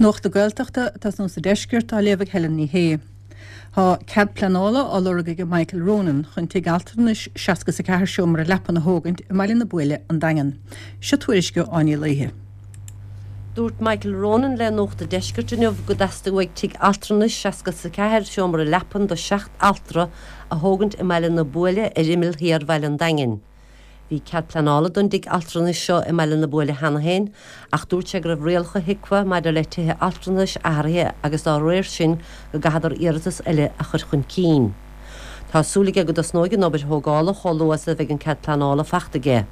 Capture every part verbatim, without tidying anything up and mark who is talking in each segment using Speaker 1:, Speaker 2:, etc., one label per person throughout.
Speaker 1: Nuacht na Gaeltachta atá sna sa deisceart á léamh ag Helen Ní Shé. Tá cead pleanála á lorg ag Michael Ronan chun tigh altranais seasca is a ceathair seomra leapan a thógaint i mBaile na Buaile an Daingean. Seo tuairisc ó Áine Uí Laoithe.
Speaker 2: Dúirt Michael Ronan le Nuacht an Deiscirt inniu go dteastaigh uaidh tigh altranais seasca is a ceathair seomra leapan do seacht altra a thógaint i mBaile na Buaile ar imeall thiar Bhaile an Daingin. Bhí cead pleanála don dtigh altranais seo i mBaile na Buaile cheana féin, ach dúirt sé go raibh rialacha HIQA maidir le tithe altranais athraithe agus dá réir sin go gcaithfeadar iarratas eile a chur chun cinn. Tá súil aige go dtosnóidh an obair thógála chomh luath is a bheidh an cead pleanála faighte aige.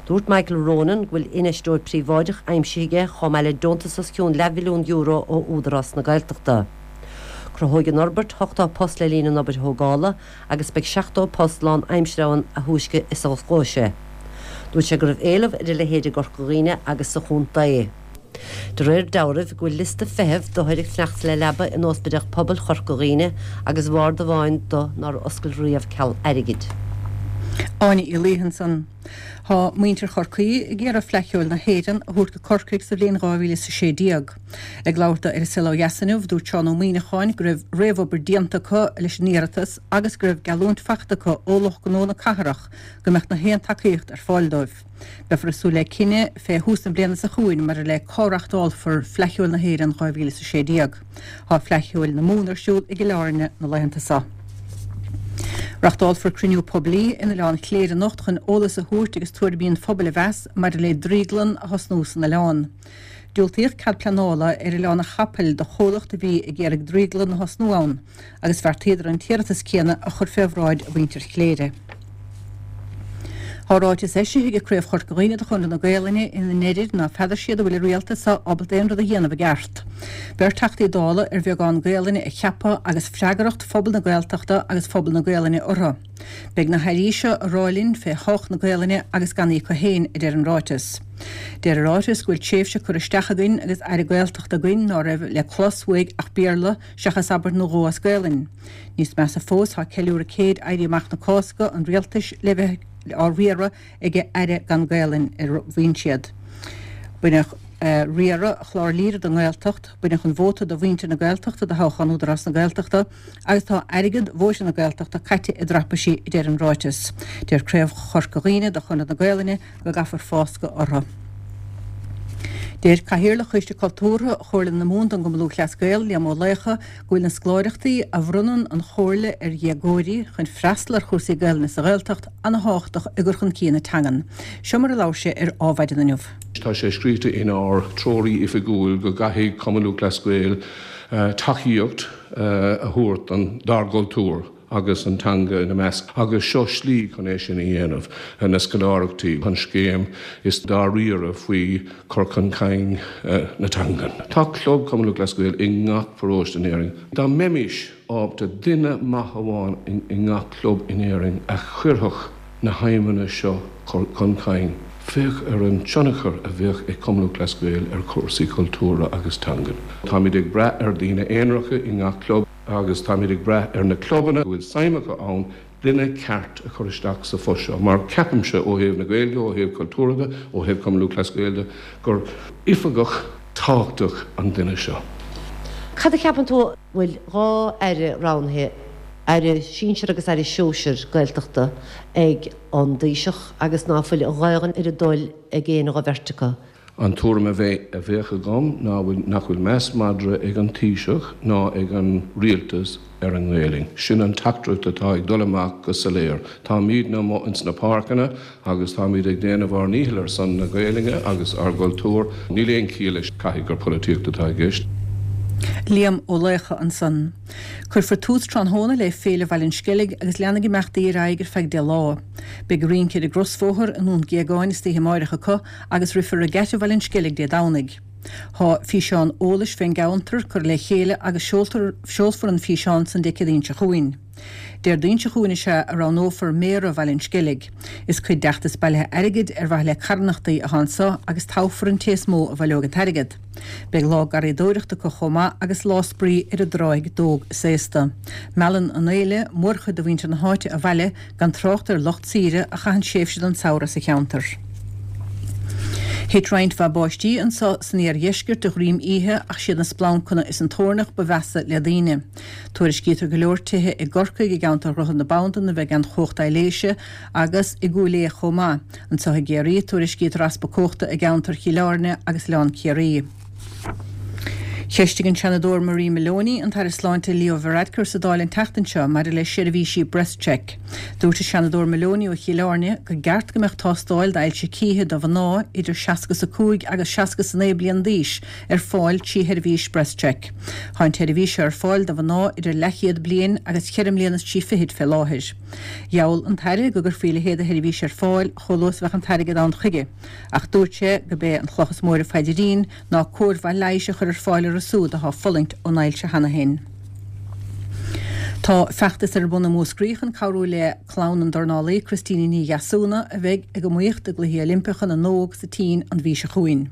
Speaker 2: Dúirt Michael Ronan go bhfuil infheisteoir príobháideach aimsithe aige chomh maith le deontas os cionn leathmhilliún euro ó Údarás na Gaeltachta. Cruthóidh an fhorbairt ochtó post le linn an obair thógála agus beidh seachtó post lánaimseartha ann a thúisce is a osclóidh sé. Dúirt sé go raibh éileamh ar a leithéid i gCorca Dhuibhne agus sa chontae. De réir dealraimh go bhfuil liosta feithimh d'othair ag fanacht le leaba in Ospidéal Pobail Chorca Dhuibhne agus bord amháin do nár oscail riamh ceal airgid.
Speaker 1: Áine Uí Laoithe ansan. Tá muintir Chorcaí ag iarraidh Fleadh Cheoil na hÉireann a thabhairt go Corcaigh sa bhliain dhá mhíle is a sé déag. Ag labhairt dó ar An Saol Ó Dheas inniu, dúirt Seán Ó Muíneacháin go raibh réamhobair déanta acu leis an iarratas agus go raibh geallúint faighte acu ó lucht gnó na cathrach go mbeadh na haon tacaíocht ar fáil dóibh. Beifear ag súil le cinneadh fé thús na bliana seo chugainn maidir le cá reáchtálfar Fleadh Cheoil na hÉireann dhá mhíle is a sé déag. Tá Fleadh Cheoil na Mumhan ar siúl i gCill Airne na laethanta seo. Reáchtálfar cruinniú poiblí in Oileán Chléire anocht chun eolas a thabhairt agus tuairimí an phobail a mheas maidir le drioglann a thosnú san oileán. Diúltaíodh cead pleanála ar Oileán an Chapaill do chomhlacht a bhí ag iarraidh drioglann a thosnú ann agus bheartaíodar an t-iarratas céanna a chur fé bhráid mhuintir Chléire. Tá ráiteas eisithe ag Craobh Chorca Dhuibhne de Chonradh na Gaelainne ina ndeirid ná feadar siad an bhfuil an rialtas seo ábalta aon rud a dhéanamh i gceart. Beirt Teachtaí Dála ar bheagán Gaelainne a ceapadh agus freagracht phobal na Gaeltachta agus phobal na Gaelainne orthu. Beidh na hairí seo ag rá linn fé thodhchaí na Gaelainne agus gan í acu féin, a deir an ráiteas. Deir an ráiteas go bhfuil tréimhse curtha isteach againn agus Aire Gaeltachta againn ná raibh le clos uaidh ach Béarla seachas abairt nó dhó as Gaelainn. Níos measa fós tá ceiliúradh céid Éirí Amach na Cásca an rialtais le bheith á riaradh ag Aire gan Gaelainn a mhaíonn siad. Baineadh riaradh chlár Lírah don nGaeltacht, baineadh an vóta do mhuintir na Gaeltachta do thoghchán Údarás na Gaeltachta agus tá airgead vóta na Gaeltachta caite i dtraipisí, a deir an ráiteas. Deir Craobh Chorca Dhuibhne de Chonradh na Gaelainne go gcaithfear fáscadh orthu. Deir Cathaoirleach Choiste Cultúrtha Chomhairle na Mumhan don gCumann Lúthchleas Gael, Liam Ó Laochdha, go bhfuil na scoláireachtaí a bhronnann an Chomhairle ar dhéagóirí chun freastal ar chúrsaí Gaelainne sa Ghaeltacht ana-thábhachtach i gcur chun cinn na teangan. Seo mar a labhair sé ar Adhmhaidin inniu.
Speaker 3: Tá sé scríte inár dtreoir oifigiúil go gcaithfidh Cumann Lúthchleas Gael tacaíocht a thabhairt don dár gcultúr agus an teanga ina measc, agus seo slí chun é sin a dhéanamh, na scoláireachtaí, an scéim is dáiríre faoi chur chun cinn na teangan. Tá club Cumann Lúthchleas Gael i ngach paróiste in Éirinn. Dá mbeimis ábalta duine maith amháin i ngach club in Éirinn a chuirfeadh na haidhmeanna seo chun cinn, féach ar an tionchar a bheadh ag Cumann Lúthchleas Gael ar chúrsaí cultúrtha agus teangan. Táimid ag brath ar daoine aonaracha i ngach club agus táimid ag brath ar na clubanna go bhfuil suim acu ann duine ceart a chur isteach sa phost seo, mar ceapaimse ó thaobh na Gaeilge, ó thaobh cultúrtha de, ó thaobh Cumann Lúthchleas Gael de, gur oifigeach tábhachtach an duine seo.
Speaker 2: Cad a cheapann tú bhfuil dhá aire roghnaithe, aire sinsir agus aire sóisir Gaeltachta ag an dTaoiseach agus ná fuil an Ghaelainn ar a dtoil ag aon dá bheirt acu?
Speaker 3: An tuairim a bheith a bheadh agam ná nach bhfuil meas madra ag an Taoiseach ná ag an rialtas ar an nGaelainn. Sin an teachtaireacht atá ag dul amach go soiléir. Táimidne amuigh ins na páirceanna agus táimid ag déanamh ár ndícheall ar son na Gaelainne agus ár gcultúr. Níl aon chiall leis caithfidh gur polaitíocht atá i gceist.
Speaker 1: Liam Ó Laochdha ansan. Cuirfear tús tráthnóna le Féile Bhaile an Sceilg agus leanfaidh imeachtaí ar aghaidh ar feadh deich lá. Beidh rince ar an gcrosbhóthar i nDún Géagáin istoíche amáireach acu agus rithfear Regatta Bhaile an Sceilg Dé Domhnaigh. Tá físeán eolais fén gceantar curtha le chéile agus seolfar an físeán san Dé Céadaoin seo chugainn. Déardaoin seo chugainn is ea a roghnófar Méara Bhaile an Sceilg. Is cuid d'fheachtas bailithe airgid ar mhaithe le carthanachtaí atá anso agus toghfar an té is mó a bhaileoidh an t-airgead. Beidh lá garraíodóireachta acu chomh maith agus lá spraoi ar an dtráigh d'óg is aosta. Meallann an fhéile mórchuid de mhuintir na háite abhaile gan trácht ar lucht saoire a chaitheann tréimhse den samhradh sa cheantar. Thit roinnt mhaith báistí anseo san iardheisceart de dhroim oíche ach siad na splancanna is an toirneach ba mheasa le daoine. Tuairiscítear go leor tithe i gCorcaigh i gceantar Dhroichead na Bandan a bheith gan chumhacht aibhléise agus i gCúil Aodha chomh maith. Anseo i gCiarraí tuairiscítear easpa cumhachta i gceantar Chill Airne agus Oileán Ciarraí. Cheistigh an Seanadóir Marie Maloney an tAire Sláinte Leo Varadkar sa Dáil an tseachtain seo maidir le seirbhísí BreastCheck. Dúirt an Seanadóir Maloney ó Chill Airne go gceart go mbeadh tástáil d'ailse cíche do mhná idir seasca is a cúig agus seasca is a naoi bliain d'aois ar fáil trí sheirbhís BreastCheck. Tá an tseirbhís seo ar fáil do mhná idir leathchéad bliain agus ceithre mbliana is trí fichid fé láthair. Gheall an tAire go gcuirfí a leithéid de sheirbhís ar fáil chomh luath is a bheadh an t-airgead ann chuige, ach dúirt sé gurb é an chloch is mó ar a phaidrín ná cóir mhaith leighis a chur ar fáil orthu siúd atá ag fulaingt ón ailse cheana féin. Tá feachtas ar bun i Múscraí chun cabhrú le clann an dornálaí Christina Ní Dheasúna a bheidh ag iomaíocht i gCluichí Oilimpeacha na nÓg sa tSín an mhí seo chugainn.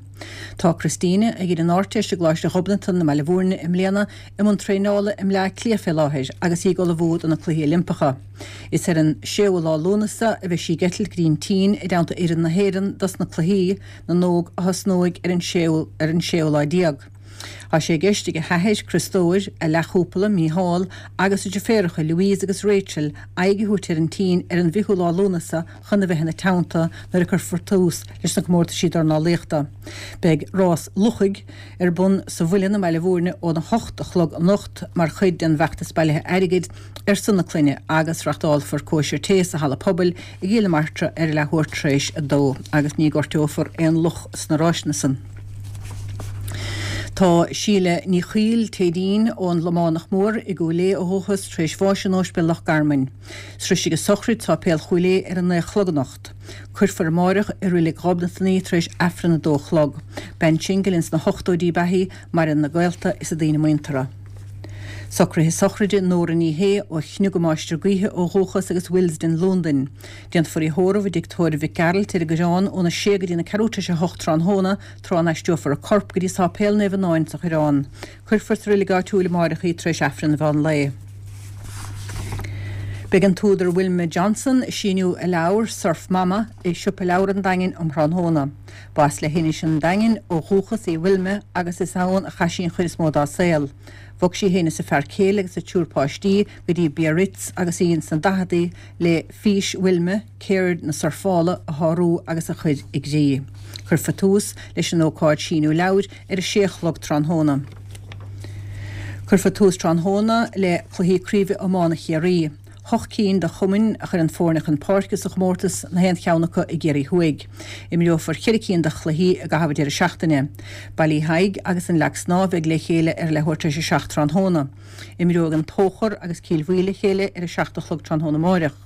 Speaker 1: Tá Christina ag déanamh an Ardteist i gColáiste Ghobnatan i mBaile Bhúirne i mbliana i mbun traenála i mBleá Cliath fé láthair agus í ag ullmhú do na Cluichí Oilimpeacha. Is ar an séú lá Lúnasa a bheidh sí ag eitilt go dtí an tSín i dteannta fhoireann na hÉireann dos na Cluichí na nÓg a thosnóidh ar an séú ar an séú lá déag. Tá sé i gceist ag a hathair, Criostóir, a leathchúpla, Mícheál, agus a deirféaracha, Louise agus Rachel, aghaidh a thabhairt ar an tSín ar an bhfichiú lá Lúnasa chun a bheith ina teannta nuair a cuirfear tús leis na comórtaisí dornálaíochta. Beidh rás luchaigh ar bun sa Mhuileann i mBaile Bhúirne óna hocht a chlog anocht mar chuid den bhfeachtas bailithe airgid ar son na clainne agus reáchtálfar cóisir tae sa halla pobail i gCill na Martra ar a leathuair tar éis a dó agus ní gortófar aon luch sna ráiseanna san. Tá Síle Ní Chuill Téidín ón Lománach Mór i gCúil Aodha ó dhúchas tar éis bháis in Ospidéal Loch Garman. Sroisfidh a sochraid Sáipéal Chúil Aodha ar a naoi a chlog anocht. Cuirfear amárach i Reilig Ghobnatan í tar éis Aifreann a dó a chlog. Bean singil ins na hochtóidí ab ea í, maireann a gaolta is a daoine muinteartha. Socruithe sochraide Nóra Ní Shé ó Chnioga Máistir Gaoithe ó dhúchas agus Willesden, Londain. Déanfar í a thórramh i dtigh tórraimh Mhic Gearailt ar an gCoireán óna sé go dtí na ceathrú tar éis a hocht tráthnóna, tráth a n-aistreofar a corp go dtí Sáipéal Naomh Fhionáin sa Choireán. Cuirfear sa reilig áitiúil amárach í tar éis Aifreann an mheán lae. Beidh an t-údar Wilma Johnson ag síniú a leabhar Surf Mama i Siopa Leabhar an Daingin um thráthnóna. Ba as leithinis an Daingin ó dhúchas í Wilma agus is ann a chaith sí an chuid is mó dá saol. Bhog sí féin is a fear céile agus a triúr páistí go dtí Biarritz agus í ins na daicheadaí le fís Wilma, ceird na surfála a shárú agus a chur i gcrích. Cuirfear tús leis an ócáid síniú leabhair ar a sé a chlog tráthnóna. Cuirfear tús tráthnóna le cluichí craoibhe iomána Chiarraí. Hocht cinn de chumainn a chuireann foirne chun páirce sa chomórtas, na haon cheann acu i gCiarraí Thuaidh. Imreofar ceithre cinn de chluichí i gcaitheamh an deireadh seachtaine. Baile Uí Thaidhg agus an Leac Snámha ag le chéile ar leathuair tar éis a seacht tráthnóna. Imreoidh an Tóchar agus Cill Bhuí le chéile ar a seacht a chlog tráthnóna amáireach.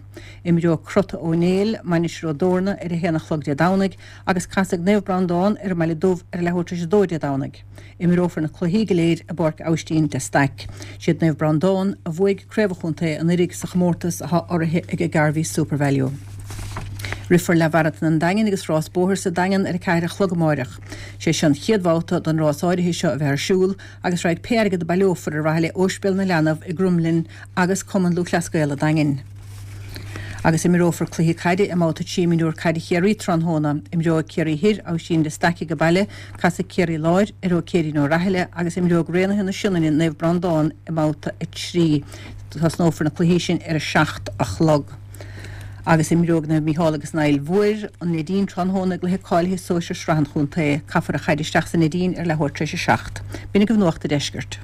Speaker 1: Imreoidh Crota Ó Néill, Mainistir Ó dTorna ar a haon a chlog Dé Domhnaigh agus casfaidh Naomh Breandán ar an mBaile Dubh ar leathuair tar éis a dó Dé Domhnaigh. Imreofar na cluichí go léir i bPáirc Aibhistín de Staic. Siad Naomh Breandán a bhuaigh Craobh an Chontae anuraidh sa chomórtas atá urraithe ag Garvey SuperValu. Rithfear Leathmharatón an Daingin agus rás bóthair sa Daingean ar a ceathair a chlog amáireach. Sé seo an chéad bhabhta don rás áirithe seo a bheith ar siúl agus raghaidh pé airgead a baileofar ar mhaithe le Ospidéal na Leanbh i gCromghlinn agus Cumann Lúthchleas Gael an Daingin. Agus imreofar cluiche caide i mbabhta trí mionúr caide Chiarraí tráthnóna. Imreoidh Ciarraí Thoir Aibhistín de Staic ag baile, casfaidh Ciarraí Láir ar Ó Céirín Ó Rathaille agus imreoidh Raonaithe na Sionainne Naomh Breandán i mbabhta a trí. Tosnófar na cluichí sin ar a seacht a chlog. Agus imreoidh Naomh Mícheál agus an Aill Mhóir an Neidín tráthnóna i gcluiche cáilithe sóisir Sraith an Chontae. Caithfear an chaid isteach sa Neidín ar leathuair tar éis a seacht. B'in agaibh Nuacht an Deiscirt.